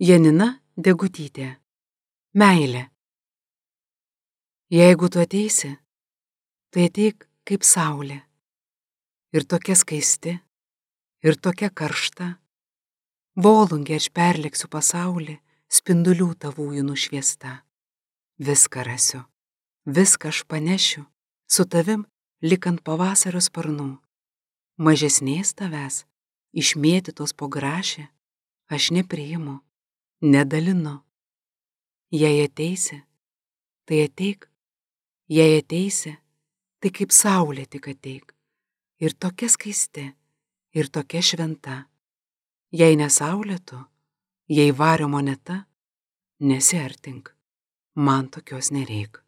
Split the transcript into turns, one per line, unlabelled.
Janina Degutytė. Meilė. Jeigu tu ateisi, tai ateik kaip saulė. Ir tokia skaisti, ir tokia karšta. Volungė aš perleksiu pasaulį, spindulių tavųjų nušviesta. Viską rasiu, viską aš panešiu, su tavim lik ant pavasario sparnų. Mažesnės tavęs, išmėtytos po grašią, aš nepriimu, nedalinu. Jei ateisi, tai ateik, jei ateisi, tai kaip saulė tik ateik. Ir tokia skaisti, ir tokia šventa. Jei ne saulė tu, jei vario moneta, nesiartink, man tokios nereik.